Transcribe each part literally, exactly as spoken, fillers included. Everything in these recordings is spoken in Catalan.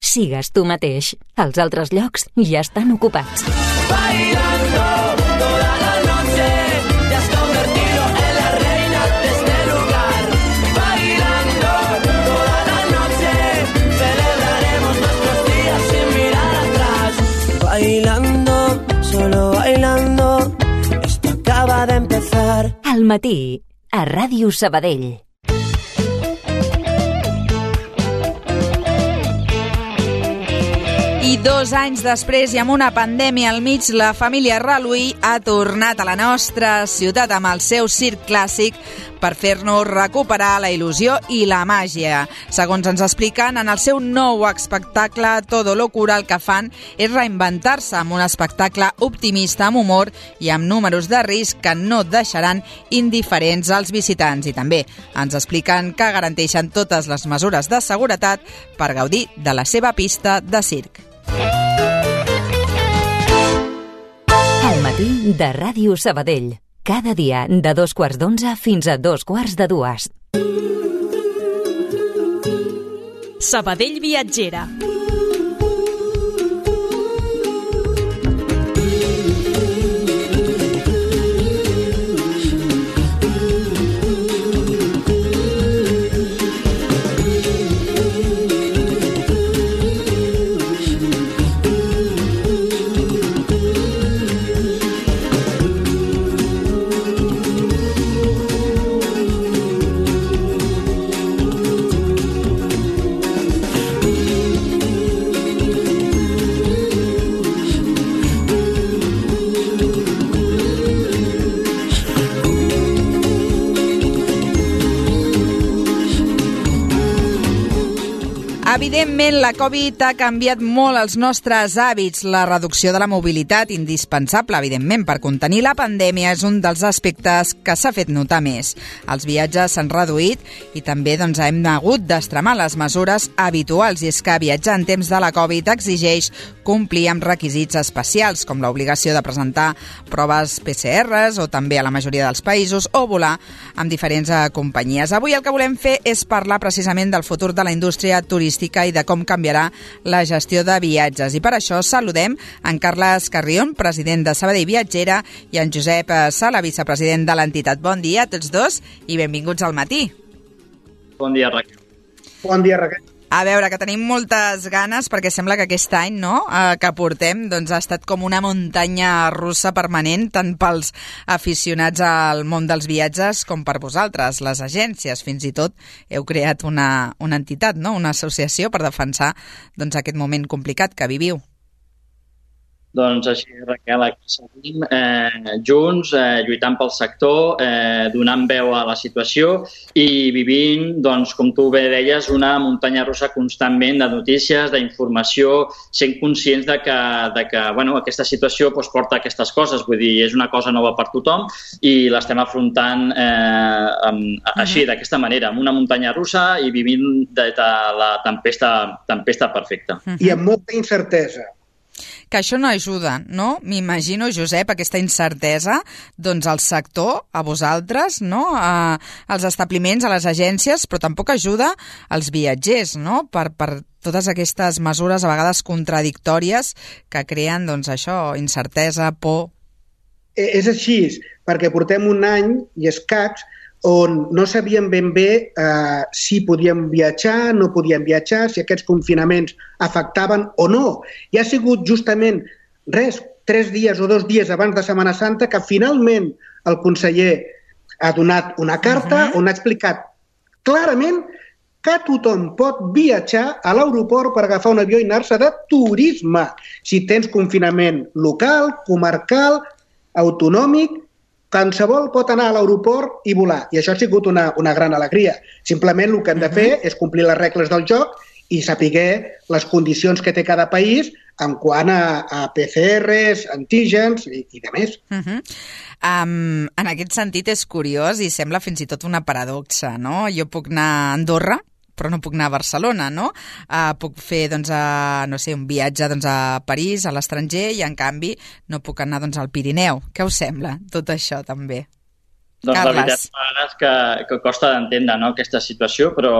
sigues tu mateix. Els altres llocs ja estan ocupats. Bailando toda la noche, te has convertido en la reina de este lugar. Bailando toda la noche, celebraremos nuestros días sin mirar atrás. Bailando, solo bailando, esto acaba de empezar. Al matí, a Ràdio Sabadell. I dos anys després i amb una pandèmia al mig, la família Reluí ha tornat a la nostra ciutat amb el seu circ clàssic per fer-nos recuperar la il·lusió i la màgia. Segons ens expliquen, en el seu nou espectacle Todo lo cura, el que fan és reinventar-se amb un espectacle optimista, amb humor i amb números de risc que no deixaran indiferents als visitants. I també ens expliquen que garanteixen totes les mesures de seguretat per gaudir de la seva pista de circ. Al matí de Ràdio Sabadell. Cada dia de dos quarts d'onze fins a dos quarts de dues. Sabadell Viatgera. Evidentment, la Covid ha canviat molt els nostres hàbits. La reducció de la mobilitat, indispensable, evidentment, per contenir la pandèmia, és un dels aspectes que s'ha fet notar més. Els viatges s'han reduït i també doncs, hem hagut d'extremar les mesures habituals, i és que viatjar en temps de la Covid exigeix complir amb requisits especials, com l'obligació de presentar proves P C Rs, o també a la majoria dels països, o volar amb diferents companyies. Avui el que volem fer és parlar precisament del futur de la indústria turística i de com canviarà la gestió de viatges. I per això saludem en Carles Carrión, president de Sabadell Viatgera, i en Josep Sala, vicepresident de l'entitat. Bon dia a tots dos i benvinguts al matí. Bon dia, Raquel. Bon dia, Raquel. A veure, que tenim moltes ganes, perquè sembla que aquest any no, eh, que portem doncs, ha estat com una muntanya russa permanent, tant pels aficionats al món dels viatges com per vosaltres, les agències. Fins i tot heu creat una, una entitat, no? Una associació per defensar doncs, aquest moment complicat que viviu. Doncs així, Raquel, aquí seguim eh, junts, eh, lluitant pel sector, eh, donant veu a la situació i vivint, doncs, com tu bé deies, una muntanya russa constantment de notícies, d'informació, sent conscients de que, de que bueno, aquesta situació doncs, porta aquestes coses. Vull dir, és una cosa nova per tothom i l'estem afrontant eh, amb, així, d'aquesta manera, amb una muntanya russa i vivint de, de la tempesta, tempesta perfecta. I amb molta incertesa. Que això no ajuda, no? M'imagino, Josep, aquesta incertesa, doncs al sector, a vosaltres, no? A, als establiments, a les agències, però tampoc ajuda als viatgers, no? Per, per totes aquestes mesures a vegades contradictòries que creen, doncs això, incertesa, por. És així, perquè portem un any i escacs on no sabíem ben bé eh, si podíem viatjar, no podíem viatjar, si aquests confinaments afectaven o no. I ha sigut justament, res, tres dies o dos dies abans de Setmana Santa que finalment el conseller ha donat una carta uh-huh. on ha explicat clarament que tothom pot viatjar a l'aeroport per agafar un avió i anar-se de turisme. Si tens confinament local, comarcal, autonòmic, qualsevol pot anar a l'aeroport i volar. I això ha sigut una, una gran alegria. Simplement el que hem de fer és complir les regles del joc i saber les condicions que té cada país en quant a, a P C Rs, antígens i, i de més. Uh-huh. Um, en aquest sentit és curiós i sembla fins i tot una paradoxa, no? Jo puc anar a Andorra, però no puc anar a Barcelona, no? Uh, puc fer, doncs, a, no sé, un viatge doncs, a París, a l'estranger, i en canvi no puc anar doncs, al Pirineu. Què us sembla tot això, també? Doncs Carles. la veritat és que, que costa d'entendre, no, aquesta situació, però,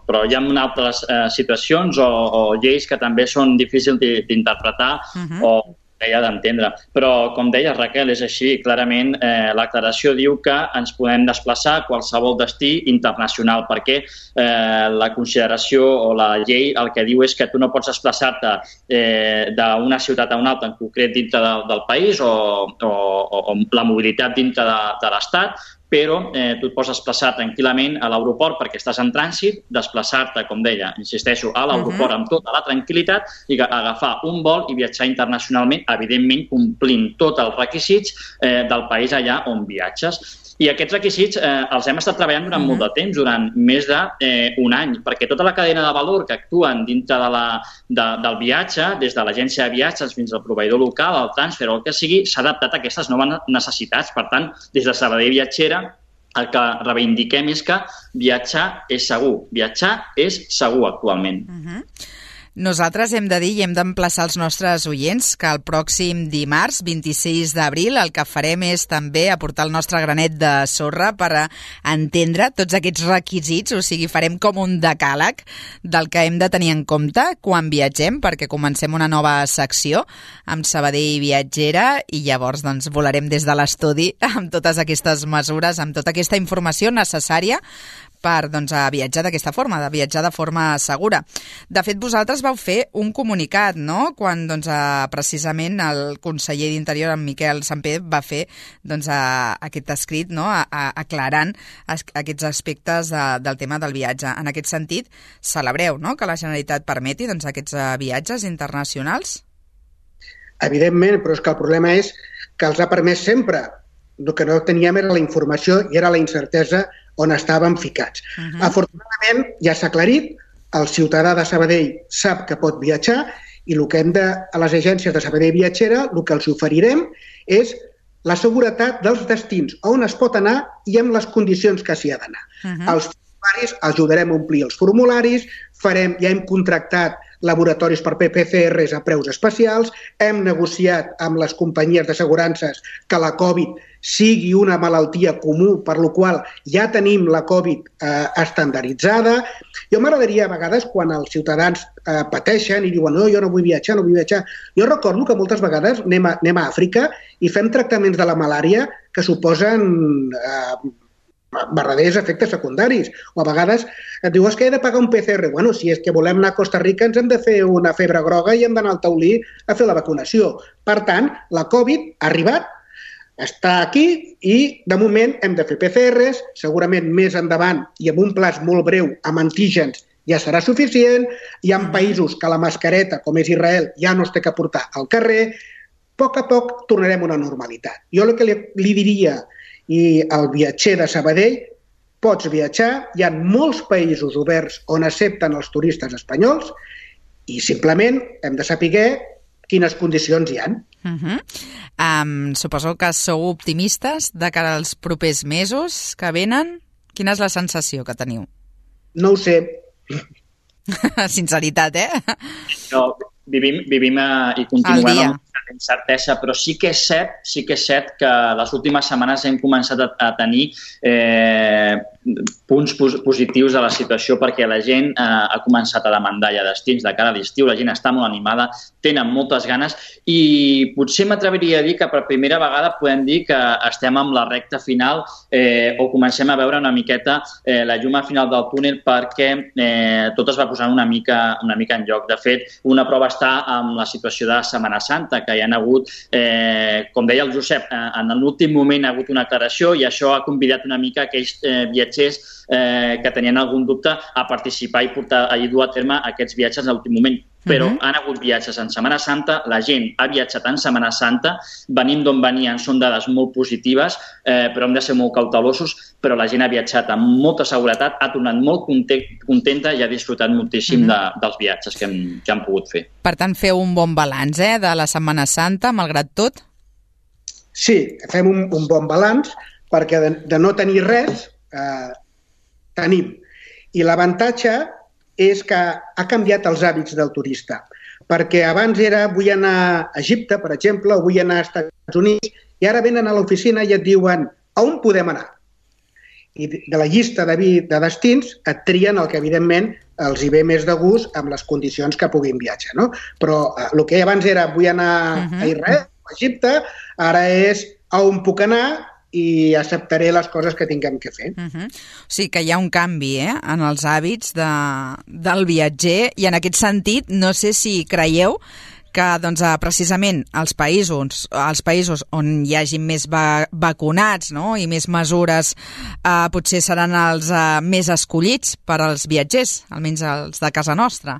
però hi ha altres eh, situacions o, o lleis que també són difícils d'interpretar uh-huh. o deia d'entendre. Però, com deia Raquel, és així. Clarament, eh, l'aclaració diu que ens podem desplaçar a qualsevol destí internacional, perquè eh, la consideració o la llei el que diu és que tu no pots desplaçar-te eh, d'una ciutat a una altra, en concret dintre de, del país o, o, o la mobilitat dintre de, de l'Estat, però eh, tu et pots desplaçar tranquil·lament a l'aeroport perquè estàs en trànsit, desplaçar-te, com deia, insisteixo, a l'aeroport uh-huh. amb tota la tranquil·litat i agafar un vol i viatjar internacionalment, evidentment complint tots els requisits eh, del país allà on viatges. I aquests requisits eh, els hem estat treballant durant uh-huh. molt de temps, durant més d'un eh, any, perquè tota la cadena de valor que actuen dintre de la, de, del viatge, des de l'agència de viatges fins al proveïdor local, al transfer o el que sigui, s'ha adaptat a aquestes noves necessitats. Per tant, des de Sabadell Viatgera, el que reivindiquem és que viatjar és segur. Viatjar és segur actualment. Uh-huh. Nosaltres hem de dir i hem d'emplaçar els nostres oients que el pròxim dimarts, vint-i-sis d'abril, el que farem és també aportar el nostre granet de sorra per entendre tots aquests requisits, o sigui, farem com un decàleg del que hem de tenir en compte quan viatgem, perquè comencem una nova secció amb Sabadell Viatgera i llavors doncs, volarem des de l'estudi amb totes aquestes mesures, amb tota aquesta informació necessària per doncs, a viatjar d'aquesta forma, de viatjar de forma segura. De fet, vosaltres vau fer un comunicat, no?, quan doncs, a, precisament el conseller d'Interior, en Miquel Samper, va fer doncs, a, aquest escrit, no?, a, a, aclarant es, aquests aspectes de, del tema del viatge. En aquest sentit, celebreu, no?, que la Generalitat permeti doncs, aquests uh, viatges internacionals? Evidentment, però és que el problema és que els ha permès sempre. El que no teníem era la informació i era la incertesa on estàvem ficats. Uh-huh. Afortunadament, ja s'ha aclarit, el ciutadà de Sabadell sap que pot viatjar i el que hem de, a les agències de Sabadell Viatgera, el que els oferirem és la seguretat dels destins on es pot anar i amb les condicions que s'hi ha d'anar. Uh-huh. Els formularis, ajudarem a omplir els formularis, farem, ja hem contractat laboratoris per P C Rs a preus especials, hem negociat amb les companyies d'assegurances que la Covid sigui una malaltia comú, per la qual ja tenim la Covid eh, estandarditzada. Jo m'agradaria a vegades, quan els ciutadans eh, pateixen i diuen no, jo no vull viatjar, no vull viatjar, jo recordo que moltes vegades anem a, anem a Àfrica i fem tractaments de la malària que suposen eh, verdaders efectes secundaris. O a vegades et diu, és que he de pagar un P C R. Bueno, si és que volem anar a Costa Rica ens hem de fer una febre groga i hem d'anar al taulí a fer la vacunació. Per tant, la Covid ha arribat, està aquí i de moment hem de fer P C Rs, segurament més endavant i amb un plaç molt breu amb antígens ja serà suficient. Hi ha països que la mascareta, com és Israel, ja no es té que portar al carrer. A poc a poc tornarem a una normalitat. Jo el que li, li diria i el viatger de Sabadell, pots viatjar, hi ha molts països oberts on accepten els turistes espanyols i simplement hem de saber quines condicions hi ha. Uh-huh. Um, suposo que sou optimistes de cara als propers mesos que venen. Quina és la sensació que teniu? No ho sé. Sinceritat, eh? No, vivim, vivim uh, i continuem amb incertesa, però sí que és cert, sí que és cert que les últimes setmanes hem començat a, a tenir eh, punts pos positius de la situació perquè la gent eh, ha començat a demandar ja destins de cara a l'estiu, la gent està molt animada, tenen moltes ganes i potser m'atreviria a dir que per primera vegada podem dir que estem amb la recta final eh, o comencem a veure una miqueta eh, la llum al final del túnel perquè eh, tot es va posant una mica, una mica en lloc. De fet, una prova està amb la situació de Setmana Santa, que hi ha hagut, eh, com deia el Josep, eh, en l'últim moment ha hagut una aclaració i això ha convidat una mica aquells eh, viatgers eh, que tenien algun dubte a participar i portar a dur a terme aquests viatges a l'últim moment. Però uh-huh. han hagut viatges en Setmana Santa, la gent ha viatjat en Setmana Santa, venim d'on venien, són dades molt positives, eh, però hem de ser molt cautelosos, però la gent ha viatjat amb molta seguretat, ha tornat molt contenta i ha disfrutat moltíssim uh-huh. de, dels viatges que hem, que han pogut fer. Per tant, feu un bon balanç eh, de la Setmana Santa, malgrat tot? Sí, fem un, un bon balanç, perquè de, de no tenir res, eh, tenim. I l'avantatge és que ha canviat els hàbits del turista. Perquè abans era vull anar a Egipte, per exemple, o vull anar als Estats Units, i ara venen a l'oficina i et diuen a on podem anar? i de la llista de, vi, de destins et trien el que evidentment els hi ve més de gust amb les condicions que puguin viatjar, no? Però eh, el que abans era vull anar uh-huh. a Israel, a Egipte, ara és a on puc anar i acceptaré les coses que tinguem que fer. Uh-huh. O sigui que hi ha un canvi eh, en els hàbits de, del viatger i en aquest sentit no sé si creieu que doncs, precisament els països, els països on hi hagi més va, vacunats no? i més mesures eh, potser seran els eh, més escollits per als viatgers, almenys els de casa nostra.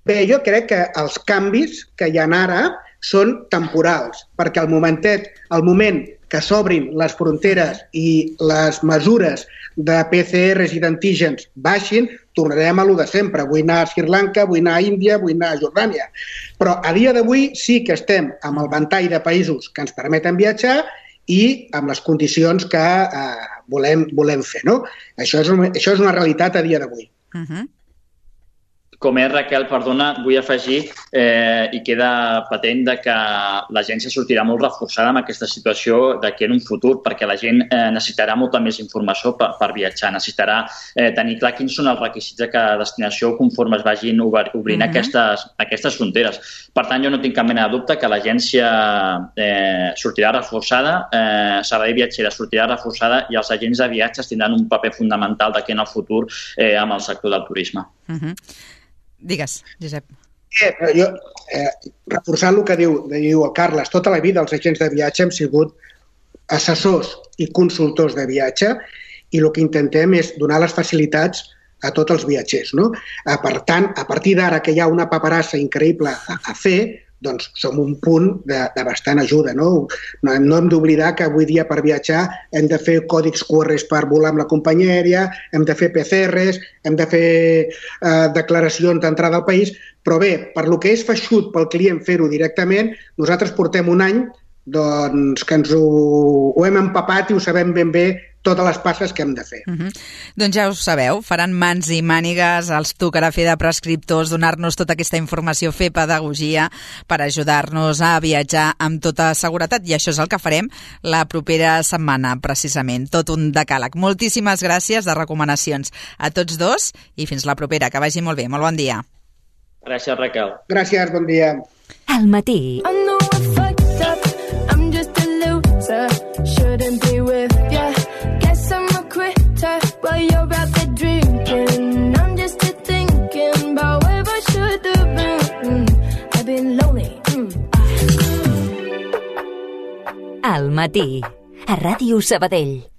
Bé, jo crec que els canvis que hi ha ara són temporals, perquè al momentet, al moment que s'obrin les fronteres i les mesures de P C Rs i d'antígens baixin, tornarem a lo de sempre. Vull anar a Sri Lanka, vull anar a Índia, vull anar a Jordània. Però a dia d'avui sí que estem amb el ventall de països que ens permeten viatjar i amb les condicions que eh, volem, volem fer. No? Això, és una, això és una realitat a dia d'avui. Uh-huh. Com és, Raquel, perdona, vull afegir eh, i queda patent de que l'agència sortirà molt reforçada amb aquesta situació d'aquí en un futur, perquè la gent eh, necessitarà molta més informació per, per viatjar, necessitarà eh, tenir clar quins són els requisits de cada destinació conforme es vagin obrint uh-huh. aquestes, aquestes fronteres. Per tant, jo no tinc cap mena de dubte que l'agència eh, sortirà reforçada, eh, Sabadell Viatgera sortirà reforçada i els agents de viatges tindran un paper fundamental d'aquí en el futur eh, amb el sector del turisme. Uh-huh. Digues, Josep. Eh, jo, eh, reforçant el que diu, diu el Carles, tota la vida els agents de viatge hem sigut assessors i consultors de viatge i el que intentem és donar les facilitats a tots els viatgers. No? Eh, per tant, a partir d'ara que hi ha una paperassa increïble a, a fer, doncs som un punt de, de bastant ajuda. No, no, no hem d'oblidar que avui dia per viatjar hem de fer còdics Q R per volar amb la companyia aèria, hem de fer P C Rs, hem de fer eh, declaracions d'entrada al país, però bé, per lo que és feixut pel client fer-ho directament, nosaltres portem un any doncs, que ens ho, ho hem empapat i ho sabem ben bé totes les passes que hem de fer. Uh-huh. Doncs ja ho sabeu, faran mans i mànigues, els tocarà fer de prescriptors, donar-nos tota aquesta informació, fer pedagogia per ajudar-nos a viatjar amb tota seguretat i això és el que farem la propera setmana, precisament, tot un decàleg. Moltíssimes gràcies de recomanacions a tots dos i fins la propera, que vagi molt bé, molt bon dia. Gràcies, Raquel. Gràcies, bon dia. Al matí. Shouldn't be with ya. Guess I'm a quitter while you're out there drinking. I'm just here thinking about where I should have been. I've been lonely. Mm. Al matí. A Ràdio Sabadell.